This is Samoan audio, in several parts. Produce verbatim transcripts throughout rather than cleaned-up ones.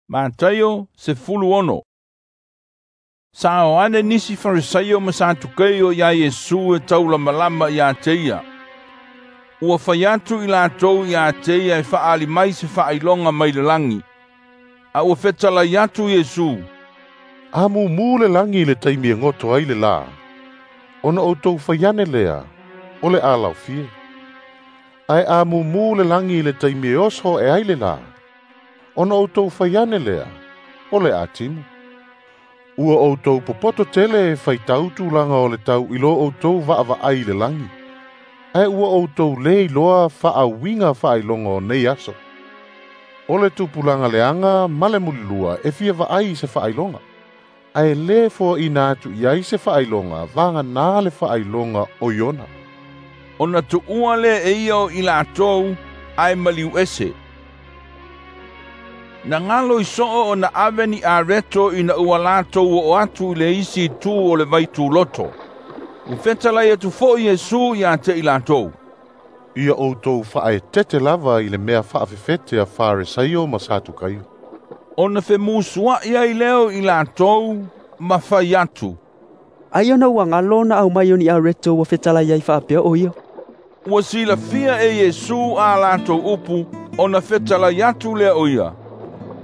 Mataio sefuluono. Sa o ane nisi Farisaio ma Satukeio ia Iesu e taulamalama ia te ia. Ua fai atu i latou ia te ia e faaali mai se faailoga mai le lagi. A ua fetalai atu Iesu, A mumu le lagi i le taimi e goto ai le lā, ona outou fai ane lea, o le a laufie. Ae a mumu le lagi i le taimi e oso e ai le lā, ona outou fai ane lea, o le a timu. Ua outou popoto tele e faitau tulaga o le tau i lo outou vaavaai i le lagi, ae ua outou le iloa faauiga faailoga o nei aso. O le tupulaga leaga ma le mulilua e fia vaai i se faailoga, ae lē foaina atu i ai se faailoga vagana le faailoga o Iona. Ona tuua lea e ia o i latou ae maliu ese. Na galo i soo ona ave ni areto ina ua latou oo atu i le isi itu o le vaituloto. Ua fetalai atu foi Iesu ia te i latou, Ia outou faaetete lava i le mea faafefete a Faresaio ma Satukaio. Ona femusuai ai lea o i latou ma fai atu, Ai ona ua galo na aumai o ni areto ua fetalai ai faapea o ia. Ua silafia e Iesu a latou upu, ona fetalai atu lea o ia,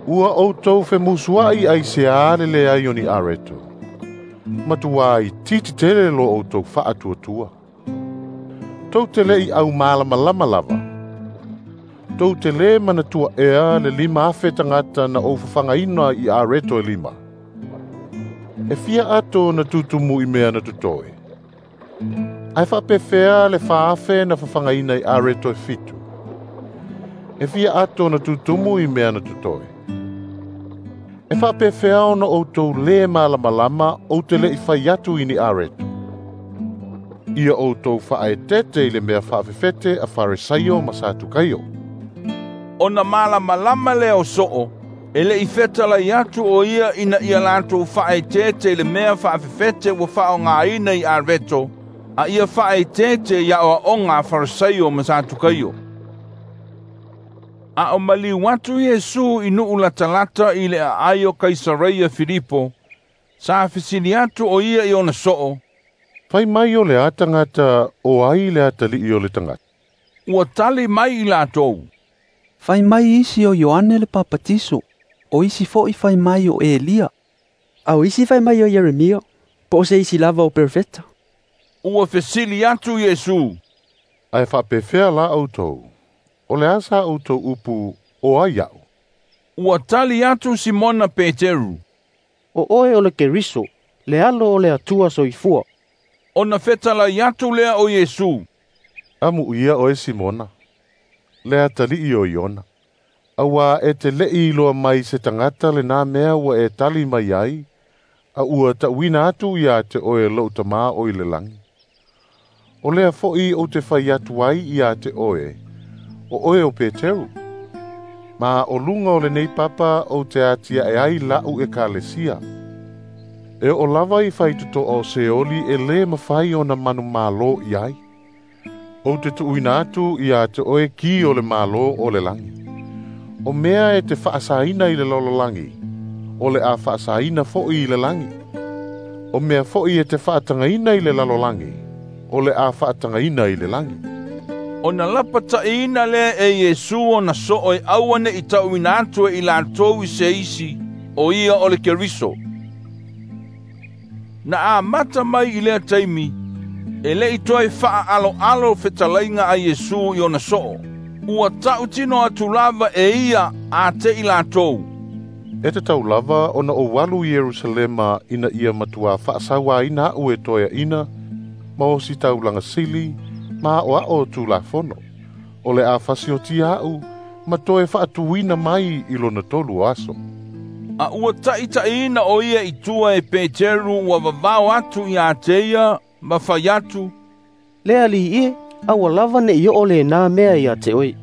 Ua outou femusuai aiseā le leai o ni areto. Matuā itiiti tele lo outou faatuatua. Tou te le'i aumalamalama lava. Tou te lē manatua ea le lima afe tagata na ou fafagaina i areto e lima. E fia ato na tutumu i mea na totoe. Ae faapefea le faafe na fafagaina i areto e fitu. E fia ato na tutumu i mea na totoe. E faapefea ona outou lē malamalama ou te le'i fai atu i ni areto. Ia outou faaetete i le mea faafefete a Faresaio ma Satukaio. Ona malamalama lea o soo, e le'i fetalai atu o ia ina ia latou faaetete i le mea faafefete ua faaaogaina i areto, a ia faaetete i aoaoga a Farisaio ma Satukaio. A o maliu atu Iesu i nuu latalata i le aai o Kaisareia Filipo, sa fesili atu o ia i ona soo, Fai mai o le a tagata o ai le atalii o le tagata. Ua tali mai i latou, Fai mai isi o Ioane le Papatiso, o isi foi fai mai o Elia, a o isi fai mai o Ieremia, po o se isi lava o perofeta. Ua fesili atu Iesu, Ae faapefea la outou, o le a sa outou upu o ai a'u. Ua tali atu Simona Peteru, O oe o le Keriso, le alo o le Atua soifua. Ona fetalai atu lea o Iesu, Amuia oe Simona, le atalii o Iona. Auā e te le'i iloa mai se tagata lenā mea ua e tali mai ai, a ua ta'uina atu iā te oe lo'u Tamā o i le lagi. O lea fo'i ou te fai atu ai iā te oe, o oe o Peteru. Ma o luga o lenei papa ou te atia'e ai la'u ekalesia. E oo lava i faitotoa o Seoli e lē mafai ona manumālō i ai. Ou te tuuina atu iā te oe ki o le mālō o le lagi. O mea e te faasaina i le lalolagi, o le a faasaina fo'i i le lagi. O mea fo'i e te faatagaina i le lalolagi, o le a faatagaina i le lagi. Ona lapata'iina lea e Iesu ona soo e aua ne'i ta'uina atu e i latou i se isi, o ia o le Keriso. Na amata mai i lea taimi, e le'i toe faaaloalo fetalaiga a Iesu i ona soo. Ua ta'utino atu lava e ia a te i latou, E tatau lava ona ou alu i Ierusalema ina ia matuā faasauāina a'u e toeaʻina ma osi taulaga sili ma aʻoaʻo tulafono. O le a fasiotia a'u ma toe faatuina mai i lona tolu o aso. A ua taʻitaʻiina o ia i tua e Peteru ua vavao atu iā te ia ma fai atu, Le alii e, aua lava ne'i oo lenā mea iā te oe.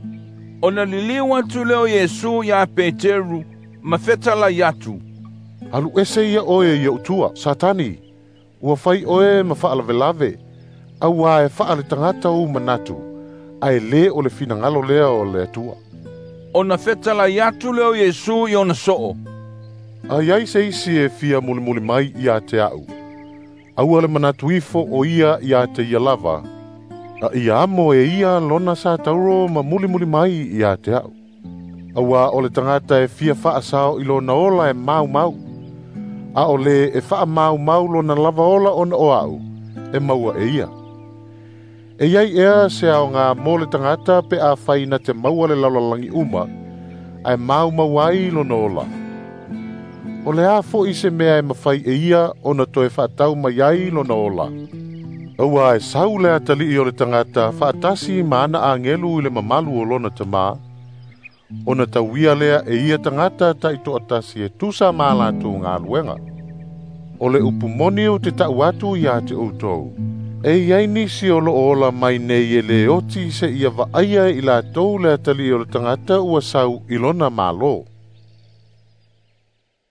Ona liliu atu lea o Iesu iā Peteru ma fetalai atu, Alu ese ia oe i o'u tua, Satani, ua fai oe ma faalavelave, auā e faaletagata ou manatu, ae lē o le finagalo lea o le Atua. Ona fetalai atu lea o Iesu i ona soo. A i ai se isi e fia mulimuli mai ia te a'u, aua le manatu ifo o ia ia te ia lava, a ia amo e ia lona sa tauro ma mulimuli mai ia te a'u. Auā o le tagata e fia faasao i lona ola e maumau, a o le e faamaumau lona lava ola ona o a'u, e maua e ia. E iai ea se aoga mo le tagata pe afai na te maua le lalolagi uma, ae maumau ai lona ola. O le a fo'i se mea e mafai e ia ona toe faatau mai ai lona ola. Auā e sau le atalii o le tagata faatasi ma ana agelu i le mamalu o lona tamā, ona tauia lea e ia tagata taitoatasi e tusa ma a latou galuega. O le upu moni ou te ta'u atu iā te outou, e i ai nisi o loo ola mai nei e lē oti seia vaaia i latou le atalii o le tagata ua sau i lona mālō.